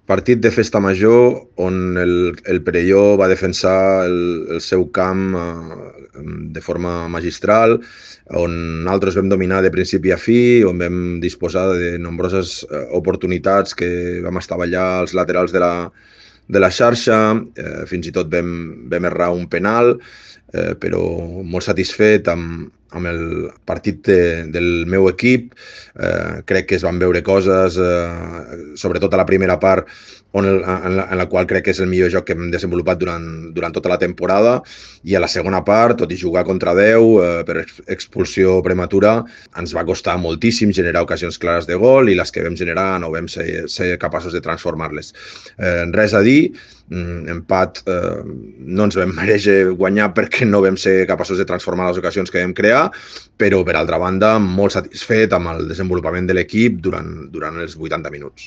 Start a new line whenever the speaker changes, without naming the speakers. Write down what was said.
Partit de festa major on el Perelló va defensar el seu camp de forma magistral, on nosaltres vam dominar de principi a fi, on vam disposar de nombroses oportunitats que vam estavellar als laterals de la xarxa, fins i tot vam errar un penal, però molt satisfet amb el partit del meu equip. Crec que es van veure coses, sobretot a la primera part, en la qual crec que és el millor joc que hem desenvolupat durant tota la temporada, i a la segona part, tot i jugar contra 10 per expulsió prematura, ens va costar moltíssim generar ocasions clares de gol, i les que vam generar no vam ser capaços de transformar-les. Res a dir, empat, no ens vam mereixer guanyar perquè no vam ser capaços de transformar les ocasions que vam crear, però per altra banda molt satisfet amb el desenvolupament de l'equip durant els 80 minuts.